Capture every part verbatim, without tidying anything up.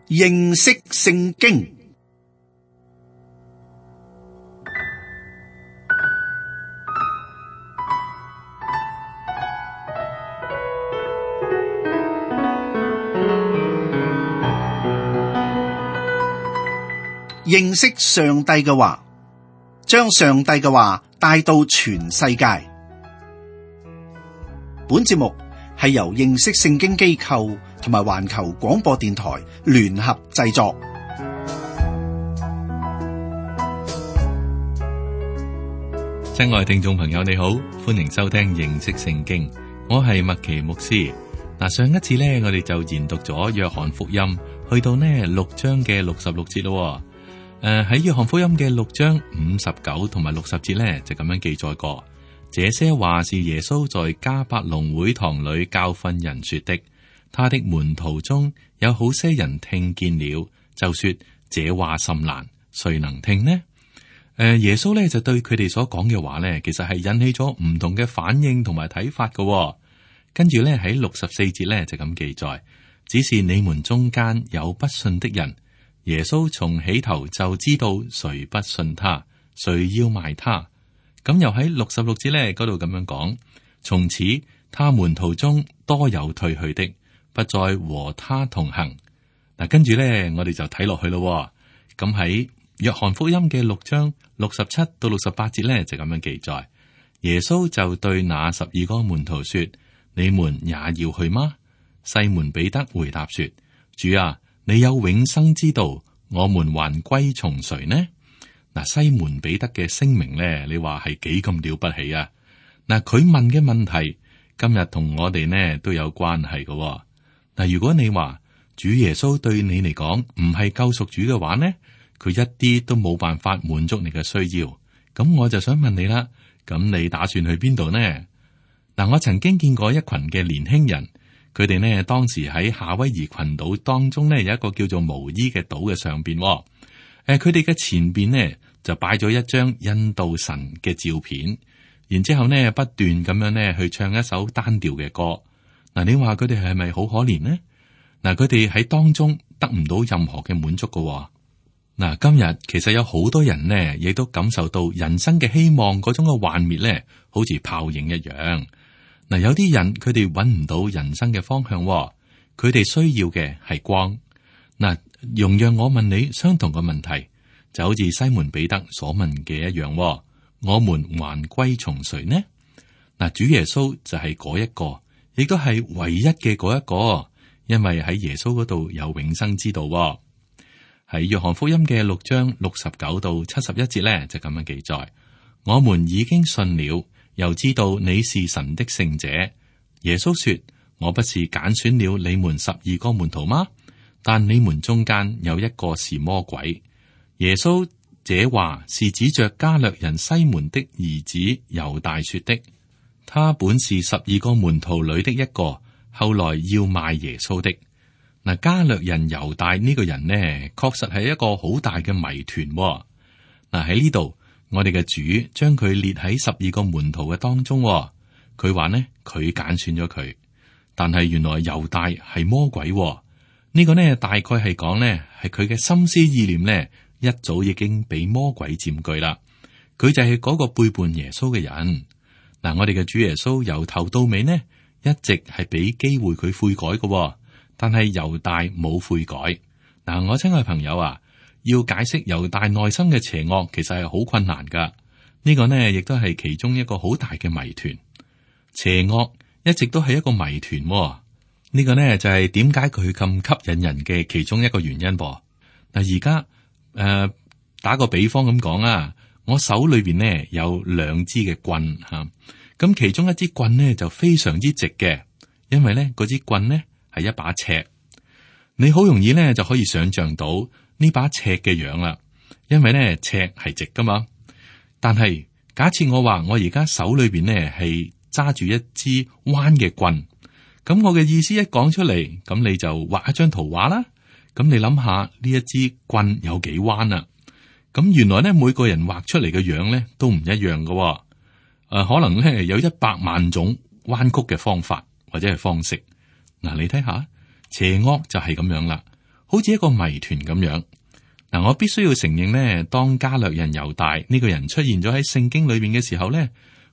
認識聖經。認識上帝嘅話，將上帝嘅話帶到全世界。本節目係由認識聖經機構同埋環球廣播電台聯合製作。親愛聽眾朋友，你好，歡迎收聽認識聖經。我係麥奇牧師。嗱，上一次呢，我哋就研讀咗約翰福音，去到呢六章嘅六十六節咯。誒，喺約翰福音嘅六章五十九同埋六十節呢，就咁樣記載過。這些話是耶穌在迦百農會堂裏教訓人說的。他的門徒中有好些人聽見了，就說這話甚難，誰能聽呢？誒，耶穌呢就對佢哋所講嘅話呢，其實係引起咗唔同嘅反應同埋睇法嘅。跟住呢，喺六十四節呢，就咁記載，只是你們中間有不信的人。耶穌從起頭就知道誰不信他，誰要賣他。咁又喺六十六節呢嗰度咁樣講，從此他門徒中多有退去的，不再和他同行。嗱，跟住呢，我哋就睇落去咯。咁喺約翰福音嘅六章六十七到六十八節呢，就咁樣記載，耶穌就對那十二個門徒說：你們也要去嗎？西門彼得回答說：主啊，你有永生之道，我們還歸從誰呢？嗱，西門彼得嘅聲明咧，你話係幾咁了不起啊？嗱，佢問嘅問題今日同我哋呢都有關係嘅。嗱，如果你話主耶穌對你嚟講唔係救贖主嘅話呢，佢一啲都冇辦法滿足你嘅需要。咁我就想問你啦，咁你打算去邊度呢？嗱，我曾經見過一群嘅年輕人。佢哋呢當時喺夏威夷群島當中呢有一個叫做毛伊嘅島嘅上邊，誒，佢哋嘅前邊呢就擺咗一張印度神嘅照片，然之後呢不斷咁樣呢去唱一首單調嘅歌。嗱，你話佢哋係咪好可憐呢？嗱，佢哋喺當中得唔到任何嘅滿足㗎。嗱，今日其實有好多人呢亦都感受到人生嘅希望嗰種嘅幻滅呢，好似泡影一樣。嗱，有啲人佢哋揾唔到人生嘅方向，佢哋需要嘅係光。嗱，容讓我問你相同嘅問題，就好似西門彼得所問嘅一樣，我們還歸從誰呢？嗱，主耶穌就係嗰一個，亦都係唯一嘅嗰一個，因為喺耶穌嗰度有永生之道。喺約翰福音嘅六章六十九到七十一節咧，就咁樣記載：我們已經信了。又知道你是神的聖者。耶穌說：我不是揀選了你們十二個門徒嗎？但你們中間有一個是魔鬼。耶穌這話是指着加略人西門的兒子猶大說的。他本是十二個門徒裏的一個，後來要賣耶穌的。嗱，加略人猶大呢個人呢，確實係一個好大嘅謎團。嗱，喺呢度。我哋嘅主將佢列喺十二個門徒嘅當中，佢話呢，佢揀選咗佢，但係原來猶大係魔鬼，呢、呢個呢大概係講呢係佢嘅心思意念呢一早已經俾魔鬼佔據啦，佢就係嗰個背叛耶穌嘅人。嗱，我哋嘅主耶穌由頭到尾呢一直係俾機會佢悔改嘅，但係猶大冇悔改。嗱，我親愛朋友啊，要解釋猶大內心嘅邪惡，其實係好困難噶。呢個呢，亦都係其中一個好大嘅謎團。邪惡一直都係一個謎團。呢個呢，就係點解佢咁吸引人嘅其中一個原因噃。嗱，而家誒打個比方咁講啊，我手裏邊呢有兩支嘅棍吓，咁其中一支棍呢就非常之直嘅，因為呢嗰支棍呢係一把尺。你好容易呢就可以想象到呢把尺嘅樣啦，因為咧尺係直噶嘛。但係假設我話我而家手裏邊咧係揸住一支彎嘅棍，咁我嘅意思一講出嚟，咁你就畫一張圖畫啦。咁你諗下呢一支棍有幾彎啊？咁原來咧每個人畫出嚟嘅樣咧都唔一樣噶。誒、呃，可能咧有一百萬種彎曲嘅方法或者係方式。嗱，你睇下邪惡就係咁樣啦。好似一個謎團咁樣。嗱，我必須要承認呢，當加略人猶大呢個人出現咗喺聖經裏邊嘅時候呢，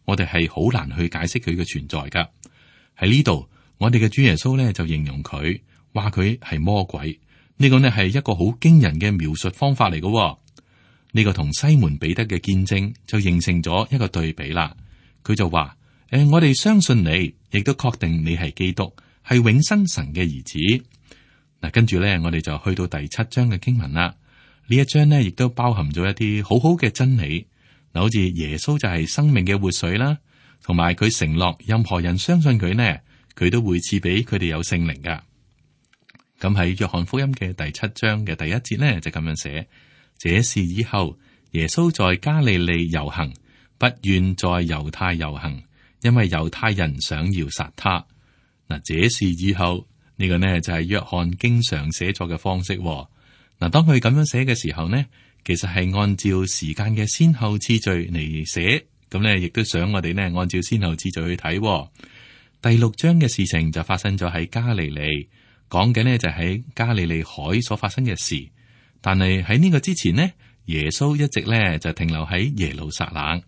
我哋係好難去解釋佢嘅存在噶。喺呢度，我哋嘅主耶穌呢就形容佢，話佢係魔鬼。呢個呢係一個好驚人嘅描述方法嚟嘅。呢個同西門彼得嘅見證就形成咗一個對比啦。佢就話：誒、呃，我哋相信你，亦都確定你係基督，係永生神嘅兒子。嗱，跟住咧，我哋就去到第七章嘅經文啦。呢一章呢，亦都包含咗一啲好好嘅真理。嗱，好似耶穌就係生命嘅活水啦，同埋佢承諾任何人相信佢呢，佢都會賜俾佢哋有聖靈噶。咁喺約翰福音嘅第七章嘅第一節呢，就咁樣寫：這事以後，耶穌在加利利遊行，不願在猶太遊行，因為猶太人想要殺他。嗱，這事以後呢個呢就係約翰經常寫作嘅方式。嗱，當佢咁樣寫嘅時候呢，其實係按照時間嘅先後次序嚟寫，咁呢亦都想我哋呢按照先後次序去睇。第六章嘅事情就發生咗喺加利利，講嘅呢就喺加利利海所發生嘅事。但係喺呢個之前呢，耶穌一直呢就停留喺耶路撒冷。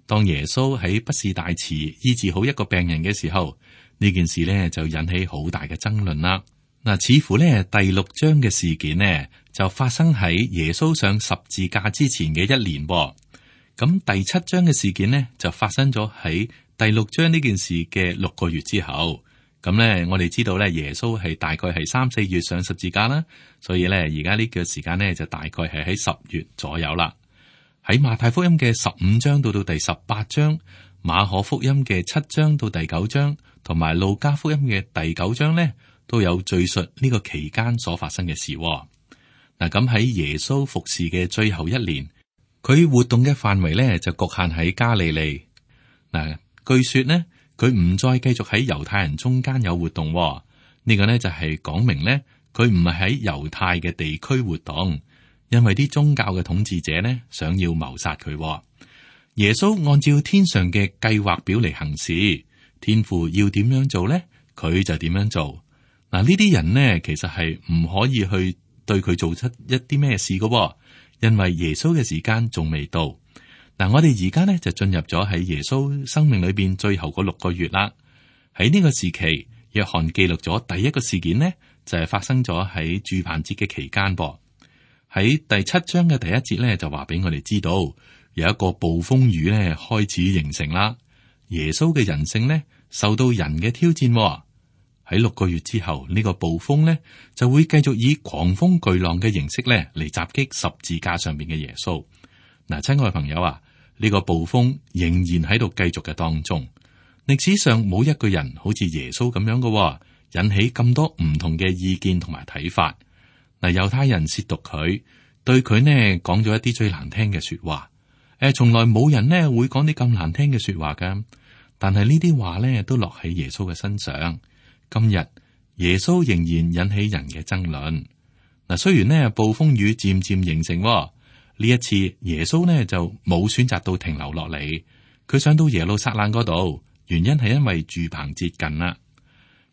當耶穌喺畢士大池醫治好一個病人嘅時候，呢件事呢就引起好大嘅爭論啦。嗱，似乎呢第六章嘅事件呢就發生喺耶穌上十字架之前嘅一年。咁第七章嘅事件呢就發生咗喺第六章呢件事嘅六個月之後。咁呢，我哋知道咧，耶穌係大概係三四月上十字架啦，所以咧而家呢個時間呢就大概係喺十月左右啦。喺馬太福音嘅十五章到到第十八章，馬可福音嘅七章到第九章，同埋路加福音嘅第九章呢，都有敘述呢個期間所發生嘅事。嗱，咁喺耶穌服侍嘅最後一年，佢活動嘅範圍呢就局限喺加利利。嗱，據說呢，佢唔再繼續喺猶太人中間有活動。呢個呢就係講明呢，佢唔係喺猶太嘅地區活動，因為啲宗教嘅統治者呢想要謀殺佢。耶穌按照天上嘅計劃表嚟行事，天父要點樣做呢，佢就點樣做。嗱，呢啲人呢其實係唔可以去對佢做出一啲咩事㗎，因為耶穌嘅時間仲未到。嗱，我哋而家呢就進入咗喺耶穌生命裏邊最後嗰六個月啦。喺呢個時期，約翰記錄咗第一個事件呢，就係發生咗喺住棚節嘅期間噃。喺第七章嘅第一節呢，就話俾我哋知道有一個暴風雨呢開始形成啦。耶穌嘅人性呢受到人嘅挑戰。喺六個月之後，呢個暴風呢就會繼續以狂風巨浪嘅形式呢嚟襲擊十字架上邊嘅耶穌。嗱，親愛嘅朋友啊，呢個暴風仍然喺度繼續嘅當中。歷史上冇一個人好似耶穌咁樣嘅，引起咁多唔同嘅意見同埋睇法。嗱，猶太人褻瀆佢，對佢呢講咗一啲最難聽嘅說話。誒，從來冇人呢會講啲咁難聽嘅說話噶。但係呢啲話呢都落喺耶穌嘅身上。今日耶穌仍然引起人嘅爭論。嗱，雖然呢暴風雨漸漸形成，呢一次耶穌呢就冇選擇到停留落嚟，佢上到耶路撒冷嗰度，原因係因為住棚節近啦。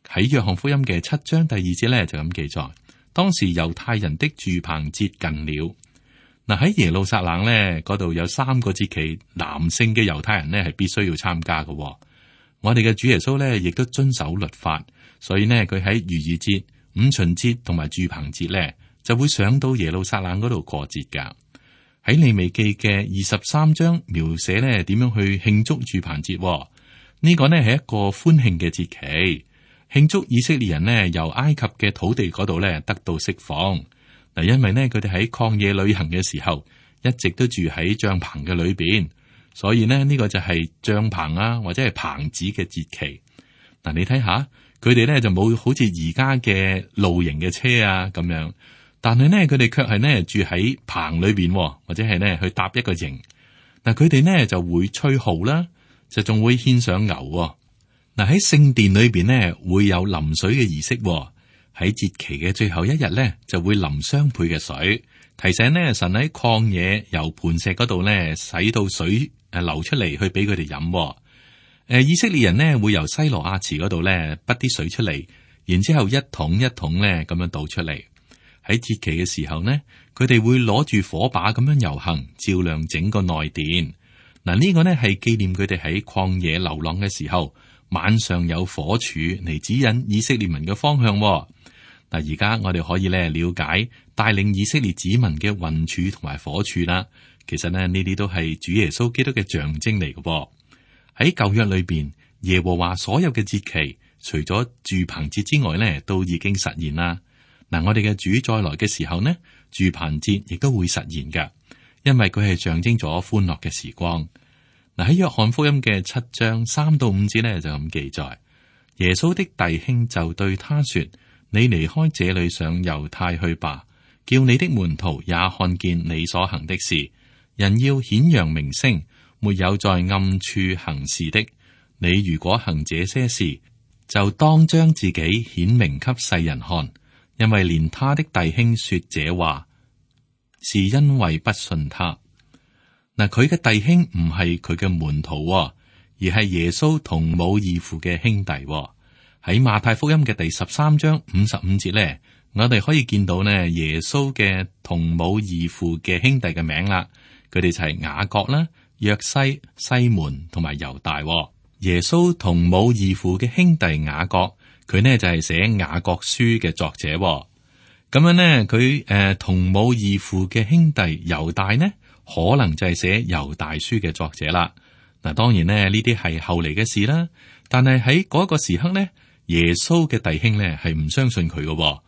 喺約翰福音嘅七章第二節呢就咁記載，當時猶太人的住棚節近了。嗱，喺耶路撒冷呢嗰度有三個節期，男性嘅猶太人呢係必須要參加嘅。我哋嘅主耶穌呢亦都遵守律法。所以呢，佢喺逾越節、五旬節同埋住棚節咧，就會上到耶路撒冷嗰度過節噶。喺利未記嘅二十三章描寫咧點樣去慶祝住棚節。呢個呢係一個歡慶嘅節期，慶祝以色列人呢由埃及嘅土地嗰度咧得到釋放。嗱，因為呢，佢哋喺曠野旅行嘅時候，一直都住喺帳篷嘅裏邊，所以呢，呢個就係帳篷啊或者係棚子嘅節期。嗱，你睇下。佢哋咧就冇好似而家嘅露營嘅車啊咁樣，但係呢，佢哋卻係呢住喺棚裏邊，或者係呢去搭一個營。嗱，佢哋呢就會吹號啦，就仲會獻上牛。嗱，喺聖殿裏邊呢會有淋水嘅儀式，喺節期嘅最後一日呢就會淋雙倍嘅水，提醒呢神喺曠野由磐石嗰度呢使到水誒流出嚟去俾佢哋飲。誒，以色列人呢會由西羅亞池嗰度咧滗啲水出嚟，然之後一桶一桶咧咁樣倒出嚟。喺節期嘅時候呢，佢哋會攞住火把咁樣遊行，照亮整個內殿。嗱，呢個呢係紀念佢哋喺曠野流浪嘅時候，晚上有火柱嚟指引以色列民嘅方向。嗱，而家我哋可以咧了解帶領以色列子民嘅雲柱同埋火柱啦。其實呢，呢啲都係主耶穌基督嘅象徵嚟嘅。喺舊約裏邊，耶和華所有嘅節期，除咗住棚節之外呢，都已經實現啦。嗱，我哋嘅主再來嘅時候呢，住棚節亦都會實現噶，因為佢係象徵咗歡樂嘅時光。嗱，喺約翰福音嘅七章三到五節呢，就咁記載，耶穌的弟兄就對他說：你離開這裏上猶太去吧，叫你的門徒也看見你所行的事。人要顯揚名聲，沒有在暗處行事的。你如果行這些事，就當將自己顯明給世人看，因為連他的弟兄說這話，是因為不信他。嗱，佢嘅弟兄唔係佢嘅門徒，而係耶穌同母異父嘅兄弟。喺馬太福音嘅第十三章五十五節咧，我哋可以見到呢耶穌嘅同母異父嘅兄弟嘅名啦。佢哋就係雅各啦、約西、西門同埋猶大。耶穌同母異父嘅兄弟雅各，佢呢就係寫雅各書嘅作者。咁樣呢，佢誒同母異父嘅兄弟猶大呢，可能就係寫猶大書嘅作者啦。嗱，當然呢，呢啲係後嚟嘅事啦。但係喺嗰一個時刻呢，耶穌嘅弟兄呢係唔相信佢嘅，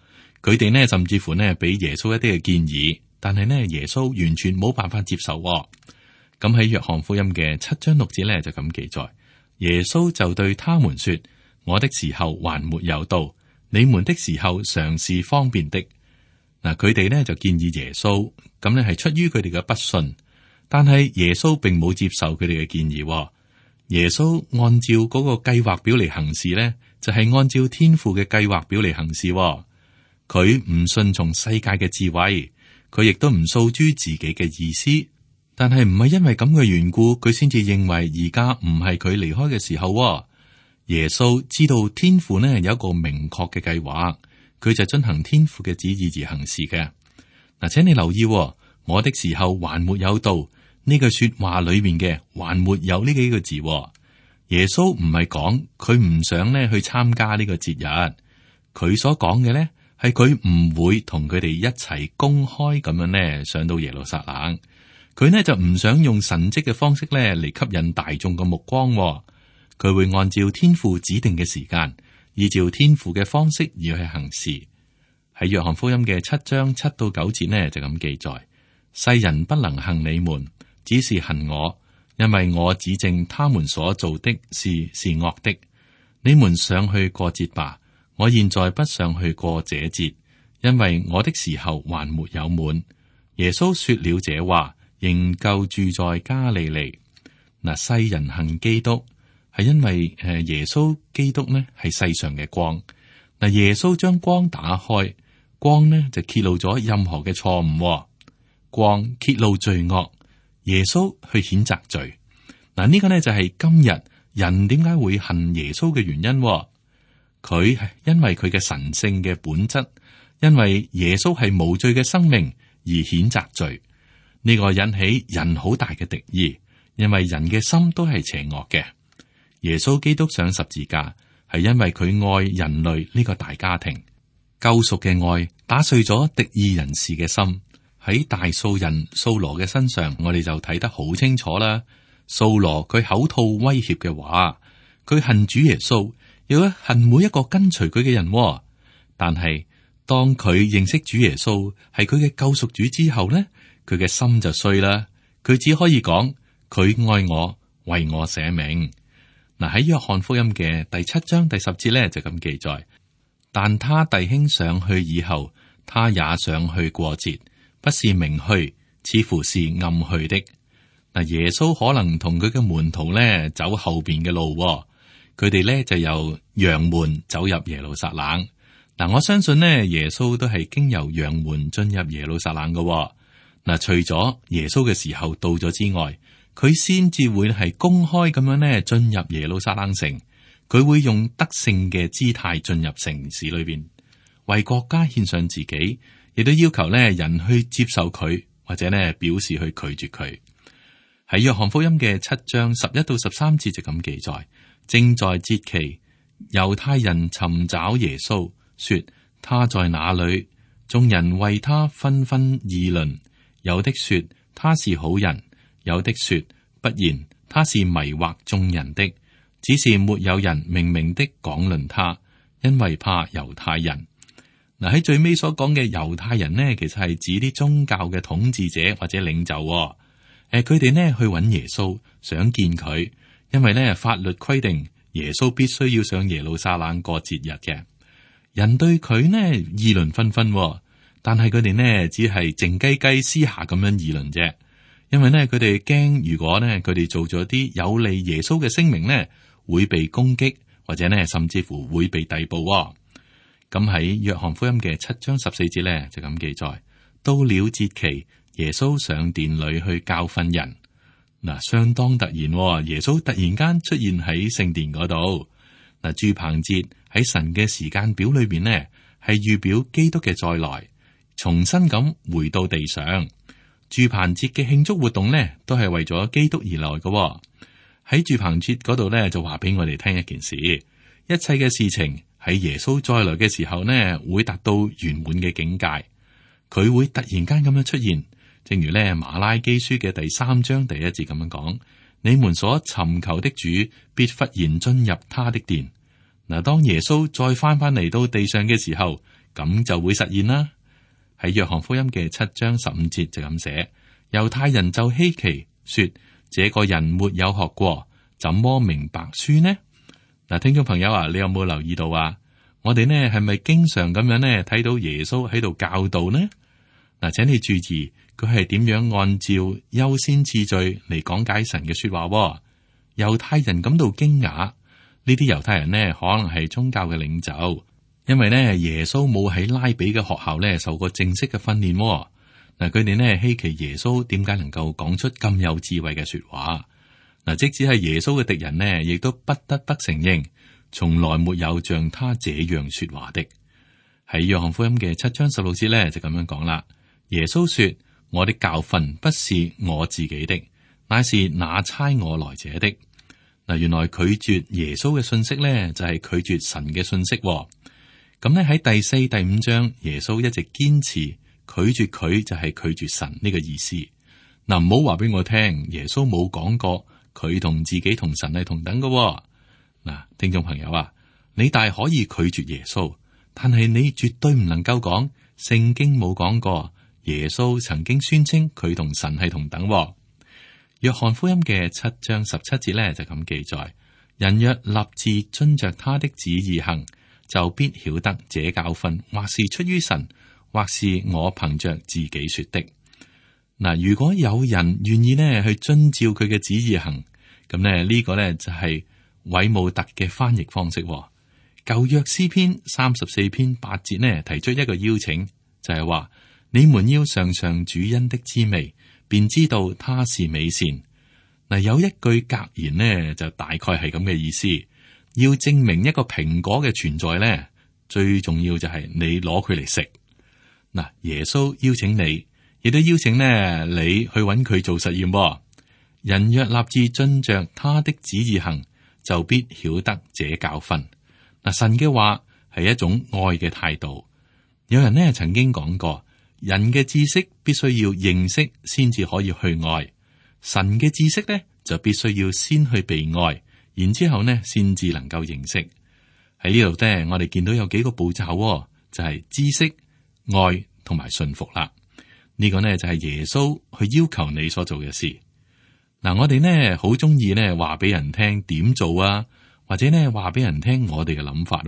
佢哋呢甚至乎呢俾耶穌一啲嘅建議。但係呢，耶穌完全冇辦法接受。咁喺約翰福音嘅七章六節呢，就咁記載，耶穌就對他們說：我的時候還沒有到，你們的時候常是方便的。嗱，佢哋呢就建議耶穌，咁呢係出於佢哋嘅不信。但係耶穌並冇接受佢哋嘅建議。耶穌按照嗰個計劃表嚟行事呢，就係按照天父嘅計劃表嚟行事。佢唔順從世界嘅智慧。佢亦都唔訴諸自己嘅意思，但係唔係因為咁嘅緣故，佢先至認為而家唔係佢離開嘅時候。耶穌知道天父呢有一個明確嘅計劃，佢就遵行天父嘅旨意而行事嘅。嗱，請你留意，我的時候還沒有到，呢句說話裏面嘅還沒有呢幾個字。耶穌唔係講佢唔想呢去參加呢個節日，佢所講嘅呢。係佢唔會同佢哋一齊公開咁樣呢上到耶路撒冷，佢呢就唔想用神蹟嘅方式呢嚟吸引大眾嘅目光。佢會按照天父指定嘅時間，依照天父嘅方式而去行事。喺約翰福音嘅七章七到九節呢就咁記載：世人不能恨你們，只是恨我，因為我指證他們所做的事是惡的。你們上去過節吧。我現在不想去過這節，因為我的時候還沒有滿。耶穌說了這話，仍舊住在加利利。嗱，世人恨基督，係因為誒耶穌基督呢係世上嘅光。嗱，耶穌將光打開，光呢就揭露咗任何嘅錯誤，光揭露罪惡，耶穌去譴責罪。嗱，呢個呢就係今日人點解會恨耶穌嘅原因。佢係因為佢嘅神聖嘅本質，因為耶穌係無罪嘅生命而譴責罪。呢個引起人好大嘅敵意，因為人嘅心都係邪惡嘅。耶穌基督上十字架係因為佢愛人類呢個大家庭，救贖嘅愛打碎咗敵意人士嘅心。喺大數人掃羅嘅身上，我哋就睇得好清楚啦。掃羅佢口吐威脅嘅話，佢恨主耶穌。又恨每一個跟隨佢嘅人，但係當佢認識主耶穌係佢嘅救贖主之後呢，佢嘅心就碎啦。佢只可以講佢愛我，為我捨命。嗱，喺約翰福音嘅第七章第十節呢，就咁記載：但他弟兄上去以後，他也上去過節，不是明去，似乎是暗去的。嗱，耶穌可能同佢嘅門徒呢走後邊嘅路。佢哋咧就由羊門走入耶路撒冷。嗱，我相信呢，耶穌都係經由羊門進入耶路撒冷嘅。嗱，除咗耶穌嘅時候到咗之外，佢先至會係公開咁樣呢進入耶路撒冷城。佢會用得勝嘅姿態進入城市裏邊，為國家獻上自己，亦都要求咧人去接受佢，或者咧表示去拒絕佢。喺約翰福音嘅七章十一到十三節就咁記載：正在節期，猶太人尋找耶穌，說他在哪裏？眾人為他紛紛議論，有的說他是好人，有的說不然，他是迷惑眾人的。只是沒有人明明的講論他，因為怕猶太人。嗱，喺最尾所講嘅猶太人呢，其實係指啲宗教嘅統治者或者領袖。誒，佢哋呢去揾耶穌，想見佢，因為呢法律規定耶穌必須要上耶路撒冷過節日嘅。人對佢呢議論紛紛，但係佢哋呢只係靜雞雞私下咁樣議論啫。因為呢佢哋驚，如果呢佢哋做咗啲有利耶穌嘅聲明呢，會被攻擊，或者呢甚至乎會被逮捕。咁喺約翰福音嘅七章十四節呢，就咁記載：到了節期，耶穌上殿裏去教訓人。嗱，相當突然，耶穌突然間出現喺聖殿嗰度。嗱，住棚節喺神嘅時間表裏邊呢，係預表基督嘅再來，重新咁回到地上。住棚節嘅慶祝活動呢，都係為咗基督而來嘅。喺住棚節嗰度呢，就話俾我哋聽一件事：一切嘅事情喺耶穌再來嘅時候呢，會達到圓滿嘅境界。佢會突然間咁樣出現，正如呢馬拉基書嘅第三章第一節咁樣講：你們所尋求的主必忽然進入他的殿。嗱，當耶穌再翻翻嚟到地上嘅時候，咁就會實現啦。喺約翰福音嘅七章十五節就咁寫：猶太人就稀奇，說這個人沒有學過，怎麼明白書呢？嗱，聽眾朋友啊，你有冇留意到啊？我哋呢係咪經常咁樣呢睇到耶穌喺度教導呢？嗱，請你注意，佢係點樣按照優先次序嚟講解神嘅說話。猶太人感到驚訝，呢啲猶太人呢可能係宗教嘅領袖，因為呢耶穌冇喺拉比嘅學校呢受過正式嘅訓練。嗱，佢哋呢稀奇耶穌點解能夠講出咁有智慧嘅說話。嗱，即使係耶穌嘅敵人呢，亦都不得不承認，從來沒有像他這樣說話的。喺約翰福音嘅七章十六節呢，就咁樣講啦。耶穌說：我的教訓不是我自己的，乃是那差我來者的。嗱，原來拒絕耶穌嘅信息呢，就係拒絕神嘅信息。咁呢喺第四、第五章，耶穌一直堅持拒絕佢就係拒絕神呢個意思。嗱，唔好話俾我聽，耶穌冇講過佢同自己同神係同等嘅。嗱，聽眾朋友啊，你大可以拒絕耶穌，但係你絕對唔能夠講聖經冇講過耶穌曾經宣稱佢同神係同等。約翰福音嘅七章十七節咧就咁記載：人若立志遵着他的旨意行，就必曉得這教訓或是出於神，或是我憑着自己說的。嗱，如果有人願意呢去遵照佢嘅旨意行，咁呢呢個呢就係韋姆特嘅翻譯方式。舊約詩篇三十四篇八節呢提出一個邀請，就係話：你們要嘗嘗主恩的滋味，便知道他是美善。嗱，有一句格言呢，就大概係咁嘅意思。要證明一個蘋果嘅存在呢，最重要就係你攞佢嚟食。嗱，耶穌邀請你，亦都邀請呢你去揾佢做實驗。人若立志遵着他的旨意行，就必曉得這教訓。嗱，神嘅話係一種愛嘅態度。有人呢曾經講過，人嘅知識必須要認識先至可以去愛，神嘅知識呢就必須要先去被愛，然之後呢先至能夠認識。喺呢度呢，我哋見到有幾個步驟，就係知識、愛同埋信服啦。呢個呢就係耶穌去要求你所做嘅事。嗱，我哋呢好中意呢話俾人聽點做啊，或者呢話俾人聽我哋嘅諗法。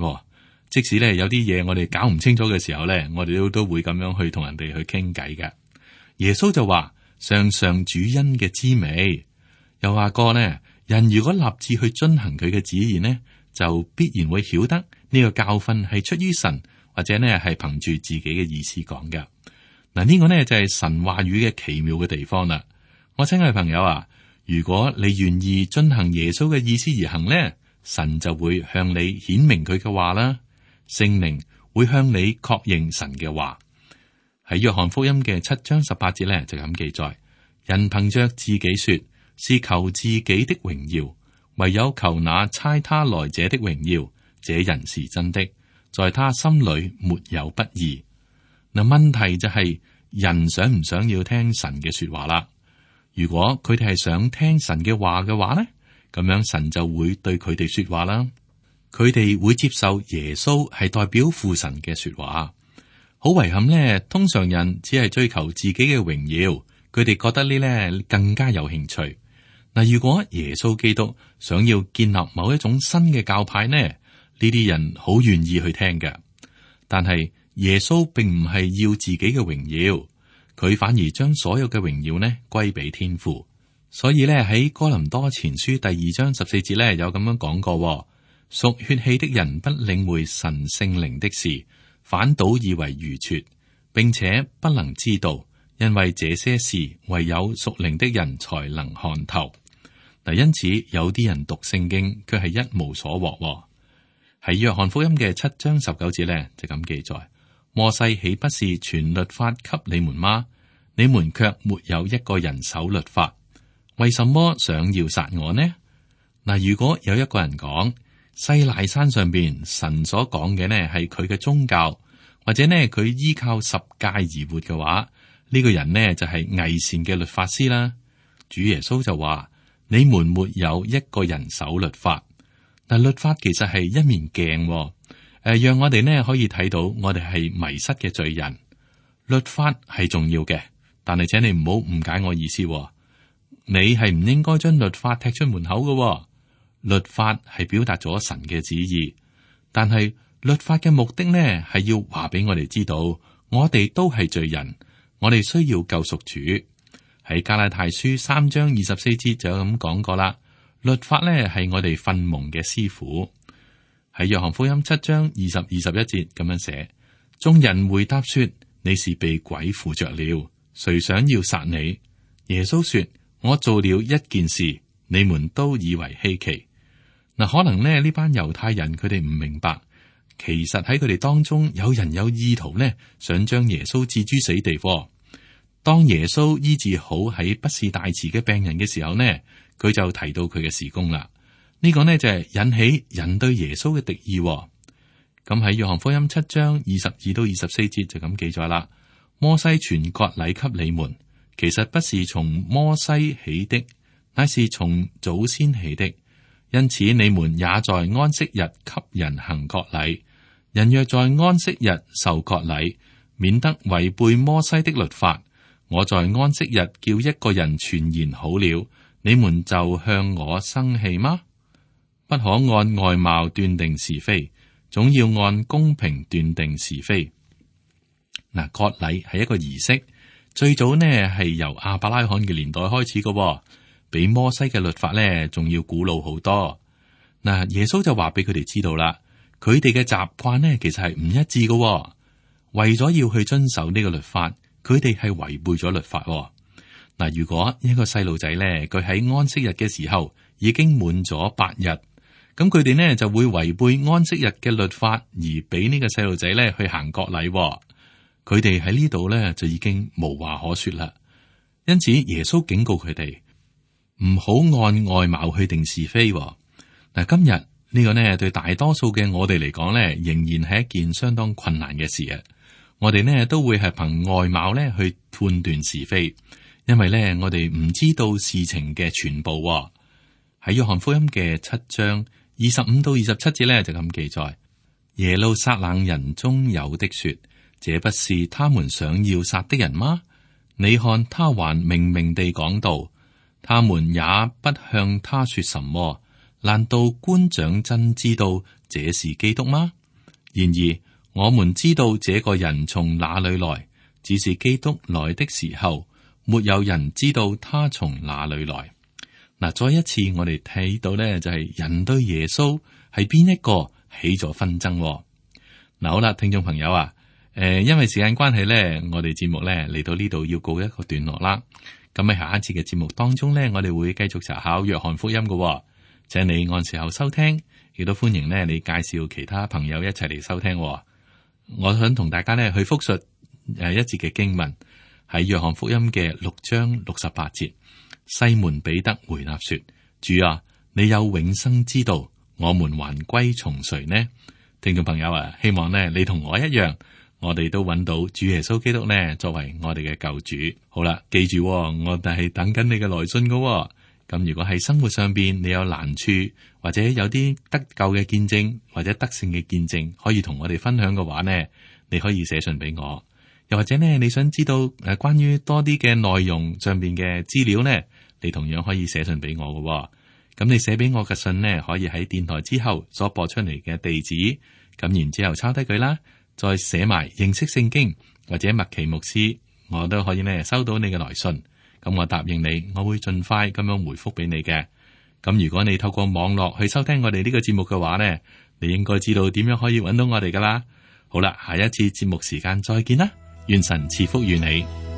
即使呢有啲嘢我哋搞唔清楚嘅時候呢，我哋都都會咁樣去同人哋去傾偈嘅。耶穌就話：嘗嘗主恩嘅滋味。又話過呢，人如果立志去遵行佢嘅旨意呢，就必然會曉得呢個教訓係出於神，或者呢係憑住自己嘅意思講嘅。嗱，呢個呢就係神話語嘅奇妙嘅地方啦。我親愛嘅朋友啊，如果你願意遵行耶穌嘅意思而行呢，神就會向你顯明佢嘅話啦。聖靈會向你確認神嘅話。喺約翰福音嘅七章十八節呢，就咁記載：人憑着自己說是求自己的榮耀，唯有求那差他來者的榮耀，這人是真的，在他心裏沒有不義。嗱，問題就係、是、人想唔想要聽神嘅說話啦？如果佢哋係想聽神嘅話嘅話呢，咁樣神就會對佢哋說話啦。佢哋會接受耶穌係代表父神嘅說話。好遺憾呢，通常人只係追求自己嘅榮耀，佢哋覺得呢咧更加有興趣。嗱，如果耶穌基督想要建立某一種新嘅教派呢，呢啲人好願意去聽嘅。但係耶穌並唔係要自己嘅榮耀，佢反而將所有嘅榮耀呢歸俾天父。所以咧喺哥林多前書第二章十四節咧有咁樣講過：屬血氣的人不領會神聖靈的事，反倒以為愚拙，並且不能知道，因為這些事唯有屬靈的人才能看透。嗱，因此有啲人讀聖經卻係一無所獲。喺約翰福音嘅七章十九節咧就咁記載：摩西豈不是傳律法給你們嗎？你們卻沒有一個人守律法，為什麼想要殺我呢？嗱，如果有一個人講西奈山上邊神所講嘅呢係佢嘅宗教，或者呢佢依靠十誡而活嘅話，呢個人呢就係偽善嘅律法師啦。主耶穌就話：你們沒有一個人守律法。但律法其實係一面鏡，誒、呃，讓我哋呢可以睇到我哋係迷失嘅罪人。律法係重要嘅，但係請你唔好誤解我意思，你係唔應該將律法踢出門口嘅。律法係表達咗神嘅旨意，但係律法嘅目的呢係要話俾我哋知道，我哋都係罪人，我哋需要救贖主。喺加拉太書三章二十四節就有咁講過啦。律法呢係我哋訓蒙嘅師傅。喺約翰福音七章二十、二十一節咁樣寫：眾人回答說，你是被鬼附着了，誰想要殺你？耶穌說：我做了一件事，你們都以為稀奇。嗱，可能呢呢班猶太人佢哋唔明白，其實喺佢哋當中有人有意圖呢，想將耶穌置諸死地。當耶穌醫治好喺畢士大池嘅病人嘅時候呢，佢就提到佢嘅事工啦。呢、這個呢就係、是、引起人對耶穌嘅敵意。咁喺約翰福音七章二十二到二十四節就咁記載啦。摩西傳割禮給你們，其實不是從摩西起的，乃是從祖先起的。因此你們也在安息日給人行割禮。人若在安息日受割禮，免得違背摩西的律法。我在安息日叫一個人全然好了，你們就向我生氣嗎？不可按外貌斷定是非，總要按公平斷定是非。嗱，割禮係一個儀式，最早呢係由亞伯拉罕嘅年代開始嘅，比摩西嘅律法呢仲要古老好多。嗱，耶穌就話俾佢哋知道啦，佢哋嘅習慣呢其實係唔一致嘅，為咗要去遵守呢個律法。佢哋係違背咗律法。嗱，如果一個細路仔咧，佢喺安息日嘅時候已經滿咗八日，咁佢哋呢就會違背安息日嘅律法，而俾呢個細路仔咧去行割禮。佢哋喺呢度咧就已經無話可說啦。因此耶穌警告佢哋唔好按外貌去定是非。嗱，今日呢個呢對大多數嘅我哋嚟講咧，仍然係一件相當困難嘅事啊。我哋呢都會係憑外貌呢去判斷是非，因為呢我哋唔知道事情嘅全部。喺約翰福音嘅七章二十五到二十七節呢就咁記載：耶路撒冷人中有的說，這不是他們想要殺的人嗎？你看他還明明地講道，他們也不向他說什麼。難道官長真知道這是基督嗎？然而我們知道這個人從哪裏來，只是基督來的時候，沒有人知道他從哪裏來。嗱，再一次我哋睇到呢，就係人對耶穌係邊一個起咗紛爭。嗱，好啦，聽眾朋友啊，誒，因為時間關係呢，我哋節目呢嚟到呢度要告一個段落啦。咁喺下一次嘅節目當中呢，我哋會繼續查考約翰福音嘅，請你按時候收聽，亦都歡迎呢你介紹其他朋友一齊嚟收聽。我想同大家咧去複述誒一節嘅經文，喺約翰福音嘅六章六十八節。西門彼得回答說：主啊，你有永生之道，我們還歸從誰呢？聽眾朋友啊，希望呢你同我一樣，我哋都揾到主耶穌基督呢作為我哋嘅救主。好啦，記住我哋係等緊你嘅來信噶。咁如果喺生活上邊你有難處，或者有啲得救嘅見證或者得勝嘅見證，可以同我哋分享嘅話呢，你可以寫信俾我。又或者呢，你想知道誒關於多啲嘅內容上邊嘅資料呢，你同樣可以寫信俾我嘅。咁你寫俾我嘅信呢，可以喺電台之後所播出嚟嘅地址，咁然之後抄低佢啦，再寫埋認識聖經或者麥奇牧師，我都可以呢收到你嘅來信。咁我答應你，我會盡快咁樣回覆俾你嘅。咁如果你透過網絡去收聽我哋呢個節目嘅話呢，你應該知道點樣可以揾到我哋噶啦。好啦，下一次節目時間再見啦，願神賜福於你。